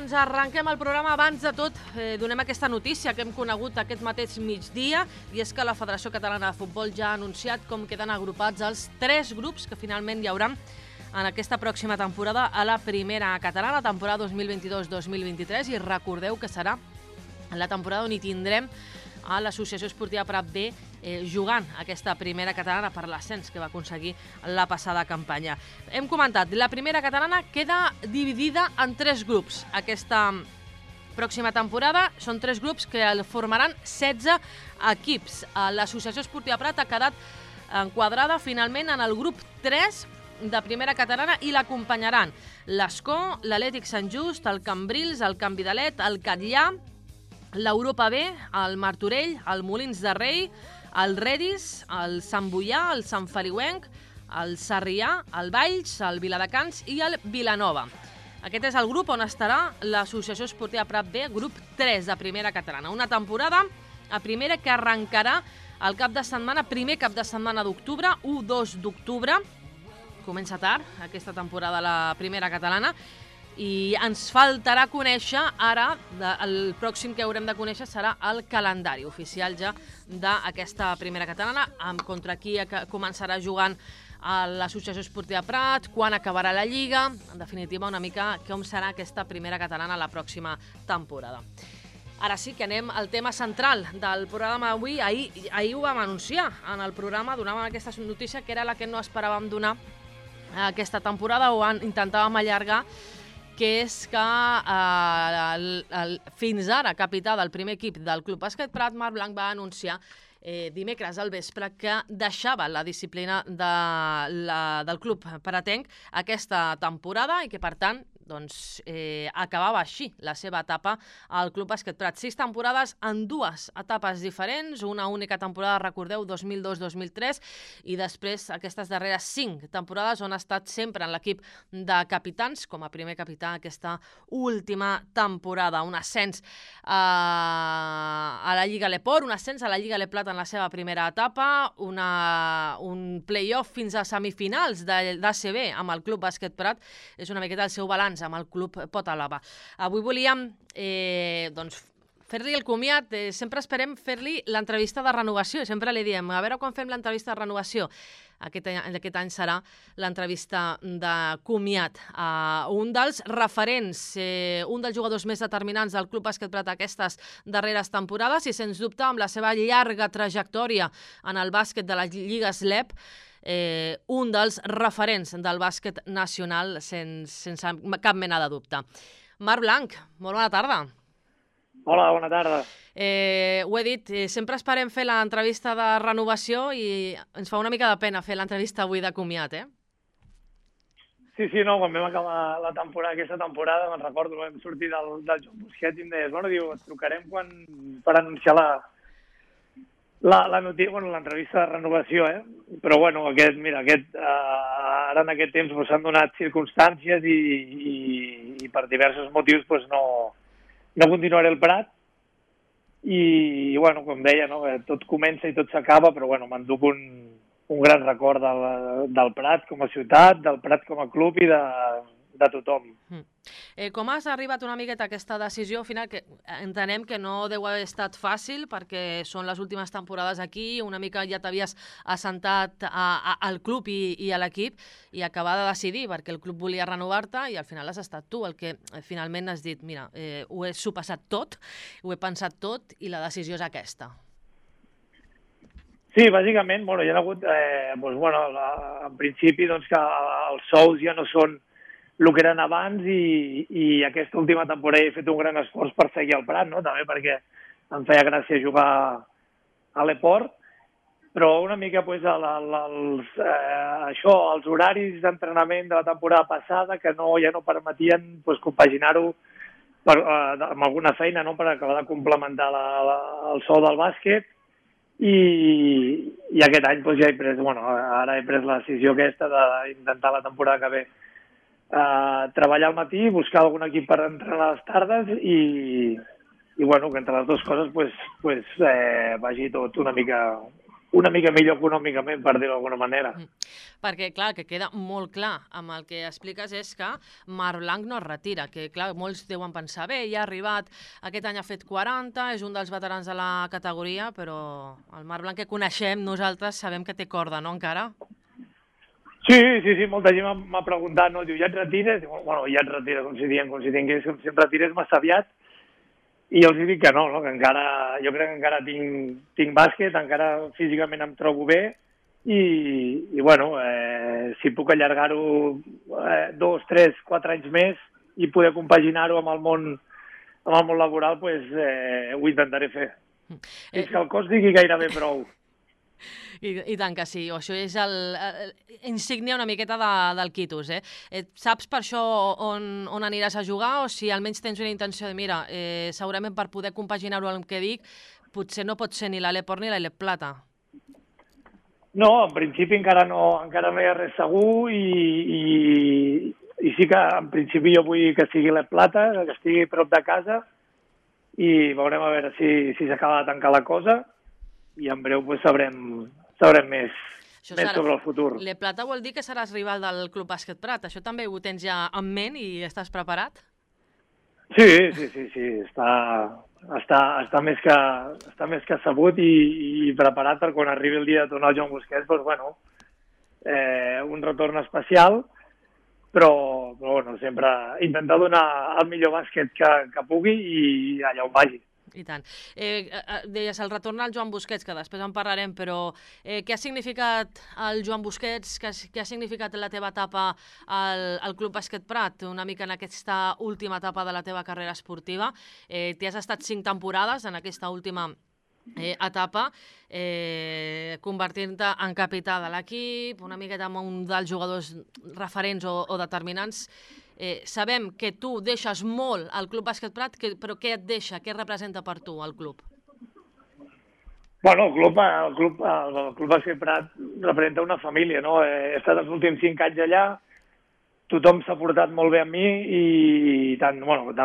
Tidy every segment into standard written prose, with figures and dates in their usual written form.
doncs arrenquem el programa. Abans de tot, donem aquesta notícia que hem conegut aquest mateix migdia, i és que la Federació Catalana de Futbol ja ha anunciat com queden agrupats els 3 grups que finalment hi haurà en aquesta pròxima temporada a la primera catalana, temporada 2022-2023, i recordeu que serà la temporada on hi tindrem a l'Associació Esportiva Prat B jugant aquesta primera catalana per l'ascens que va aconseguir la passada campanya. Hem comentat, la primera catalana queda dividida en 3 grups. Aquesta pròxima temporada són 3 grups que formaran 16 equips. L'Associació Esportiva Prat ha quedat enquadrada finalment en el grup 3 de primera catalana i l'acompanyaran l'Escó, l'Atlètic Sant Just, el Cambrils, el Can Vidalet, el Catllà, l'Europa B, el Martorell, el Molins de Rei, el Redis, el Sant Boià, el Sant Feliuenc, el Sarrià, el Valls, el Viladecans i el Vilanova. Aquest és el grup on estarà l'Associació Esportiva Prat B, grup 3 de primera catalana. Una temporada a primera que arrencarà el cap de setmana, primer cap de setmana d'octubre, 1-2 d'octubre. Comença tard aquesta temporada la primera catalana i ens faltarà conèixer ara, el pròxim que haurem de conèixer serà el calendari oficial ja d'aquesta primera catalana, contra qui començarà jugant a l'Associació Esportiva Prat, quan acabarà la Lliga, en definitiva una mica com serà aquesta primera catalana la pròxima temporada. Ara sí que anem al tema central del programa d'avui. Ahir ho vam anunciar en el programa, donàvem aquesta notícia que era la que no esperàvem donar aquesta temporada, o intentàvem allargar, que és que fins ara capità del primer equip del Club Bàsquet Prat, Marc Blanc, va anunciar dimecres al vespre que deixava la disciplina del club pratenc aquesta temporada i que, per tant, acabava així la seva etapa al Club Bàsquet Prat. 6 temporades en 2 etapes diferents, una única temporada, recordeu, 2002-2003, i després aquestes darreres 5 temporades on ha estat sempre en l'equip de capitans, com a primer capità aquesta última temporada. Un ascens a la Lliga Leport, un ascens a la Lliga Le Plata en la seva primera etapa, un play-off fins a semifinals d'ACB amb el Club Bàsquet Prat. És una miqueta el seu balanç amb el club Potalaba. Avui volíem fer-li el comiat. Sempre esperem fer-li l'entrevista de renovació. Sempre li diem, a veure quan fem l'entrevista de renovació. Aquest any serà l'entrevista de comiat. Un dels referents, un dels jugadors més determinants del Club Bàsquet Prat aquestes darreres temporades i, sens dubte, amb la seva llarga trajectòria en el bàsquet de les lligues LEP, un dels referents del bàsquet nacional sense cap mena de dubte. Marc Blanc, molt bona tarda. Hola, bona tarda. Ho he dit, sempre esperem fer l'entrevista de renovació i ens fa una mica de pena fer l'entrevista avui de comiat, Sí, no, quan vam acabar aquesta temporada, me'n recordo, vam sortir del Joan Busquets i em deies, et trucarem per anunciar l'entrevista de renovació, Però, ara en aquest temps s'han donat circumstàncies i per diversos motius no continuaré al Prat. I, com deia, tot comença i tot s'acaba, però, m'enduc un gran record del Prat com a ciutat, del Prat com a club i de tothom. Com has arribat una miqueta a aquesta decisió final, que entenem que no deu haver estat fàcil perquè són les últimes temporades aquí, una mica ja t'havies assentat al club i a l'equip i acabar de decidir perquè el club volia renovar-te i al final has estat tu el que finalment has dit, mira, ho he sopassat tot, ho he pensat tot i la decisió és aquesta. Sí, bàsicament, hi ha hagut, en principi, que els sous ja no són el que eren abans i aquesta última temporada he fet un gran esforç per seguir al Prat, també perquè em feia gràcia jugar a l'Eport, però una mica els horaris d'entrenament de la temporada passada que ja no permetien compaginar-ho amb alguna feina per acabar de complementar el sou del bàsquet. I aquest any ja he pres, ara he pres la decisió aquesta d'intentar la temporada que ve treballar al matí, buscar algun equip per entrenar a les tardes i que entre les dues coses vagi tot una mica una mica millor econòmicament, per dir-ho d'alguna manera. Perquè, clar, el que queda molt clar amb el que expliques és que Marc Blanc no es retira, que, clar, molts deuen pensar, bé, ja ha arribat, aquest any ha fet 40, és un dels veterans de la categoria, però el Marc Blanc que coneixem nosaltres sabem que té corda, no, encara? Sí, molta gent m'ha preguntat, no? Diu, ja et retires? Diu, bueno, ja et retires, com si tingués, si em retires massa aviat. I els dic que no, que encara, jo crec que encara tinc bàsquet, encara físicament em trobo bé i bueno, si puc allargar-ho 2, 3, 4 anys més i poder compaginar-ho amb el món laboral, doncs ho intentaré fer. Fins que el cos digui gairebé prou. I tant que sí, això és insígnia una miqueta del quitus. Saps per això on aniràs a jugar o si almenys tens una intenció de, mira, segurament per poder compaginar-ho amb el que dic, potser no pot ser ni l'Aleport ni l'Alep Plata? No, en principi encara no hi ha res segur i sí que en principi jo vull que sigui l'Alep Plata, que estigui prop de casa i veurem a veure si s'acaba de tancar la cosa i en breu sabrem més sobre el futur. Le Plata vol dir que seràs rival del Club Bàsquet Prat. Això també ho tens ja en ment i estàs preparat? Sí. Està més que sabut i preparat per quan arribi el dia de tornar al Joan Busquets, doncs, bueno, un retorn especial, però bueno, sempre intentar donar el millor bàsquet que pugui i allà on vagi. I tant. Deies el retorn al Joan Busquets, que després en parlarem, però què ha significat el Joan Busquets, què ha significat la teva etapa al Club Bàsquet Prat, una mica en aquesta última etapa de la teva carrera esportiva? T'hi has estat 5 temporades en aquesta última etapa, convertint-te en capità de l'equip, una miqueta amb un dels jugadors referents o determinants. Sabem que tu deixes molt al Club Bàsquet Prat, però què et deixa, què representa per tu el club? Bueno, el Club Bàsquet Prat representa una família, no? He estat els últims 5 anys allà, tothom s'ha portat molt bé amb mi i tant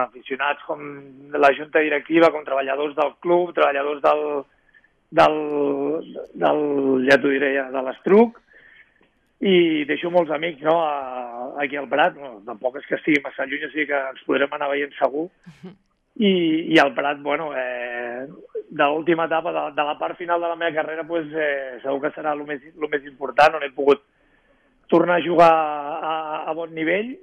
aficionats com la junta directiva, com treballadors del club, treballadors ja t'ho diré, de l'Estruc, i deixo molts amics, no?, aquí al Prat. No, tampoc és que estigui massa lluny, o sigui que ens podrem anar veient segur. I al Prat, bueno, de l'última etapa, de la part final de la meva carrera, pues, segur que serà el més important, on he pogut tornar a jugar a bon nivell,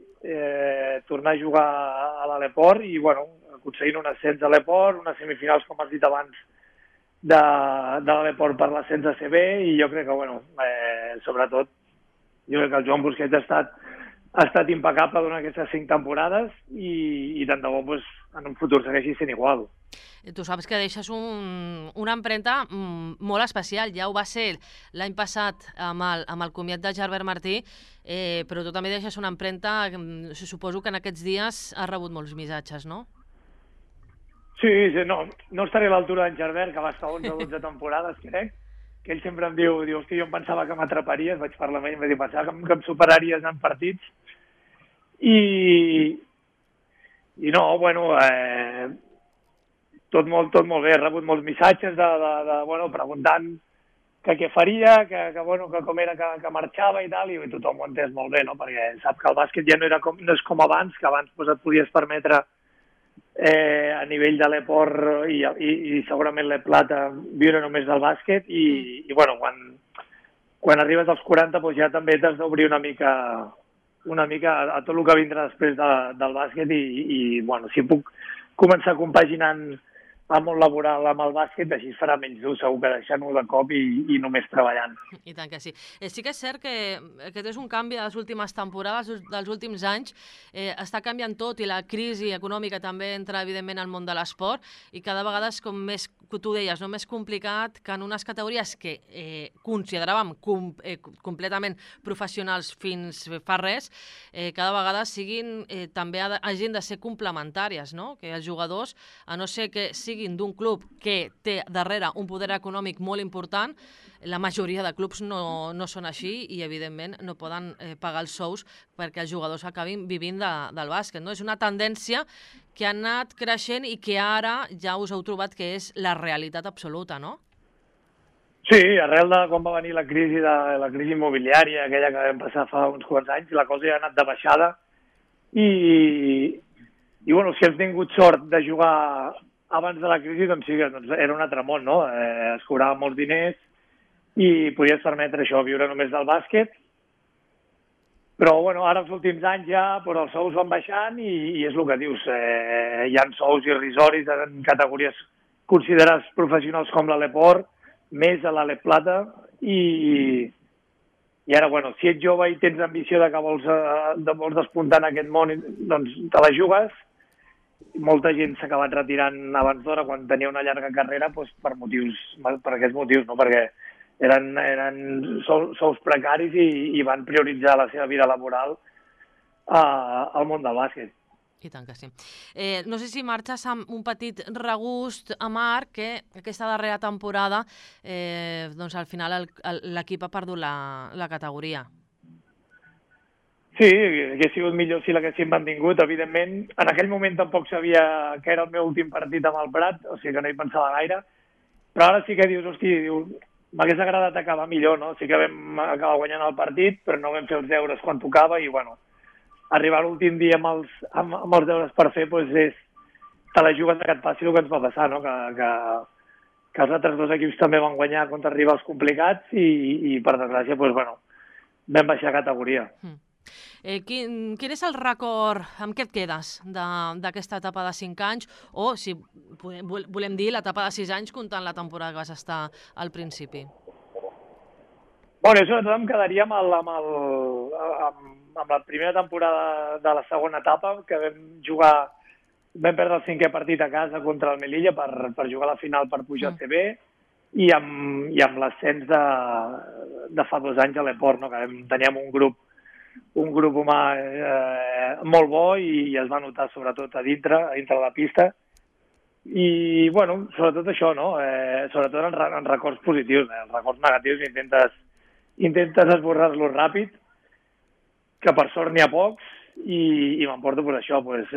tornar a jugar a l'Aleport i, bueno, aconseguint un ascens a l'Aleport, unes semifinals, com has dit abans, de l'Aleport per l'ascens a CB, i jo crec que, bueno, sobretot, jo crec que el Joan Busquets ha estat impecable durant aquestes 5 temporades i tant de bo en un futur segueixi sent igual. Tu saps que deixes una empremta molt especial. Ja ho va ser l'any passat amb el comiat de Gerbert Martí, però tu també deixes una empremta, suposo que en aquests dies has rebut molts missatges, no? Sí, no estaré a l'altura d'en Gerbert, que va estar 11 o 12 temporades, crec, que ell sempre em diu, hosti, jo em pensava que m'atraparies, vaig parlar amb ell, em va dir, pensava que em superaries en partits. I no, bueno, tot molt bé, he rebut molts missatges preguntant que què faria, que com era que marxava i tal, i tothom ho ha entès molt bé, no?, perquè sap que el bàsquet ja no és com abans, que abans et podies permetre a nivell de l'Aleport i segurament l'Alep Plata viure només del bàsquet i bueno, quan arribes als 40 doncs ja també t'has d'obrir una mica a tot el que vindrà després del bàsquet i bueno, si puc començar compaginant el món laboral amb el bàsquet, així es farà menys dur, segur que deixant-ho de cop i només treballant. I tant que sí. Sí que és cert que aquest és un canvi de les últimes temporades, dels últims anys, està canviant tot i la crisi econòmica també entra, evidentment, al món de l'esport i cada vegada és com més, tu deies, no, més complicat que en unes categories que consideràvem completament professionals fins fa res, cada vegada també hagin de ser complementàries, no? Que els jugadors, a no ser que siguin d'un club que té darrere un poder econòmic molt important, la majoria de clubs no són així i, evidentment, no poden pagar els sous perquè els jugadors acabin vivint del bàsquet, no? És una tendència que ha anat creixent i que ara ja us heu trobat que és la realitat absoluta, no? Sí, arrel de quan va venir la crisi immobiliària, aquella que vam passar fa uns quants anys, la cosa ja ha anat de baixada i bueno, si hem tingut sort de jugar abans de la crisi, doncs sí, doncs era un altre món, no? Es cobraven molts diners i podies permetre això, viure només del bàsquet. Però bueno, ara els últims anys ja però els sous van baixant i és el que dius, hi ha sous irrisoris en categories considerades professionals com l'Aleport, més a l'Alep Plata i ara, bueno, si ets jove i tens ambició de que vols despuntar en aquest món, doncs te la jugues. Molta gent s'ha acabat retirant abans d'hora quan tenia una llarga carrera doncs, per aquests motius, no? Perquè eren sous precaris i van prioritzar la seva vida laboral al món del bàsquet. I tant que sí. No sé si marxes amb un petit regust amarg que aquesta darrera temporada doncs al final l'equip ha perdut la categoria. Sí, hauria sigut millor si l'haguéssim mantingut, evidentment. En aquell moment tampoc sabia que era el meu últim partit amb el Prat, o sigui que no hi pensava gaire, però ara sí que dius, m'hagués agradat acabar millor, no? Sí que vam acabar guanyant el partit, però no vam fer els deures quan tocava i, bueno, arribar l'últim dia amb els deures per fer, doncs te la jugues que et passi el que ens va passar, no? Que els altres dos equips també van guanyar contra rivals complicats i per desgràcia, doncs, bueno, vam baixar categoria. Quin és el record, amb què et quedes d'aquesta etapa de 5 anys o, si volem dir, l'etapa de 6 anys comptant la temporada que vas estar al principi? Bueno, sobretot em quedaria amb la primera temporada de la segona etapa, que vam perdre el 5è partit a casa contra el Melilla per jugar a la final per pujar a CB i amb l'ascens de fa 2 anys a l'Eport, no? Que teníem un grup humà molt bo i es va notar sobretot a dintre de la pista i, bueno, sobretot això, no? Sobretot en records positius, els records negatius intentes esborrar-los ràpid, que per sort n'hi ha pocs i m'emporto pues, això, pues,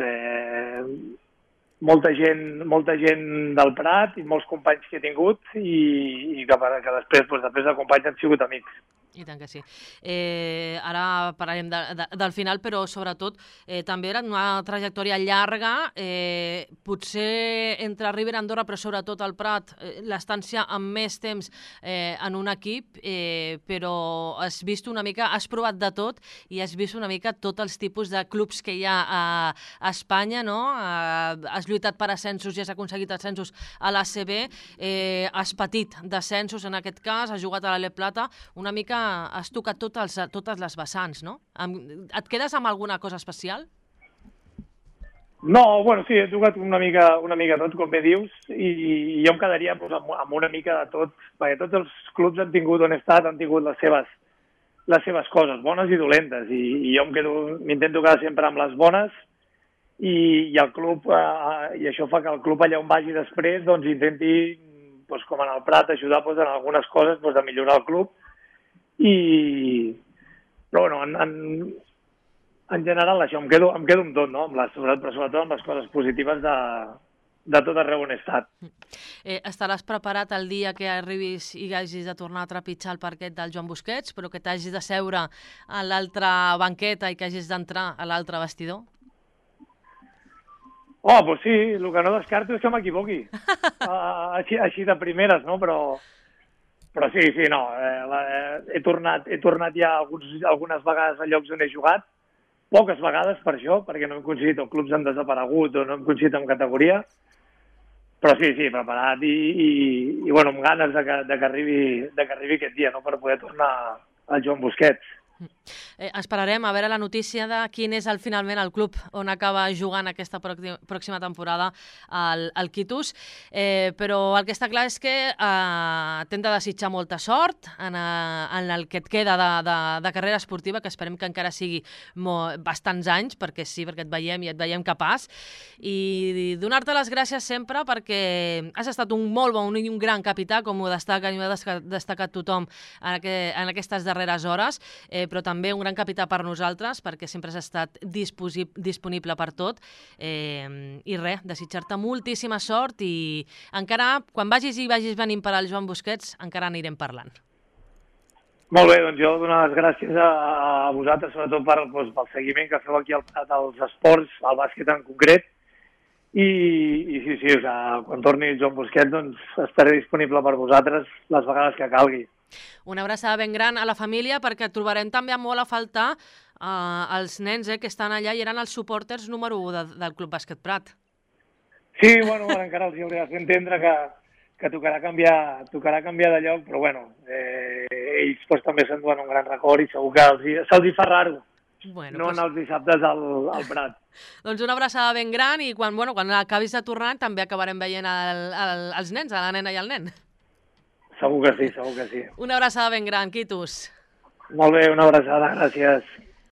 molta gent del Prat i molts companys que he tingut i que després de companys han sigut amics. I tant que sí. Ara parlarem del final, però sobretot també era una trajectòria llarga, potser entre River i Andorra, però sobretot al Prat, l'estància amb més temps en un equip, però has vist una mica, has provat de tot i has vist una mica tots els tipus de clubs que hi ha a Espanya, no? Has lluitat per ascensos i has aconseguit ascensos a l'ACB, has patit descensos en aquest cas, has jugat a l'Alep Plata, una mica has tocat totes les vessants, no? Et quedes amb alguna cosa especial? No, bueno, sí, he tocat una mica tot, com bé dius, i jo em quedaria doncs, amb una mica de tot, perquè tots els clubs han tingut on he estat, han tingut les seves coses, bones i dolentes, i jo m'intento quedar sempre amb les bones, i el club, i això fa que el club allà on vagi després, doncs intenti, doncs, com en el Prat, ajudar doncs, en algunes coses doncs, a millorar el club, però bueno, en general això, em quedo amb tot, no? Sobretot amb les coses positives de tot arreu on he estat. Estaràs preparat el dia que arribis i hagis de tornar a trepitjar el parquet del Joan Busquets, però que t'hagis de seure a l'altra banqueta i que hagis d'entrar a l'altre vestidor? Oh, doncs sí, el que no descarto és que m'equivoqui. Així de primeres, no? Però sí, no, he tornat ja algunes vegades a llocs on he jugat, poques vegades per això, perquè no hem coincidit, o clubs han desaparegut o no hem coincidit en categoria, però sí, preparat i bueno, amb ganes de que arribi aquest dia, no?, per poder tornar al Joan Busquets. Esperarem a veure la notícia de quin és finalment el club on acaba jugant aquesta pròxima temporada al Quitus, però el que està clar és que t'hem de desitjar molta sort en el que et queda de carrera esportiva, que esperem que encara sigui bastants anys, perquè sí, perquè et veiem capaç, i donar-te les gràcies sempre perquè has estat un molt bon i un gran capità, com ho destaca i ho ha destacat tothom en aquestes darreres hores, però també un gran capità per nosaltres, perquè sempre has estat disponible per tot. I res, desitjar-te moltíssima sort i encara, quan vagis venint per al Joan Busquets, encara anirem parlant. Molt bé, doncs jo donar les gràcies a vosaltres, sobretot pel seguiment que feu aquí al Prat als esports, al bàsquet en concret. I sí, o sigui, quan torni Joan Busquets doncs estaré disponible per vosaltres les vegades que calgui. Una abraçada ben gran a la família, perquè trobarem també molt a faltar els nens que estan allà i eren els supporters número 1 del Club Bàsquet Prat. Sí, bueno, encara els hauré de fer entendre que tocarà canviar de lloc, però bueno, ells doncs, també s'enduen un gran record i segur que se'ls hi fa raro no anar els dissabtes al Prat. Doncs una abraçada ben gran i quan acabis de tornar també acabarem veient els nens, la nena i el nen. Segur que sí. Una abraçada ben gran, Quitus. Molt bé, una abraçada, gràcies.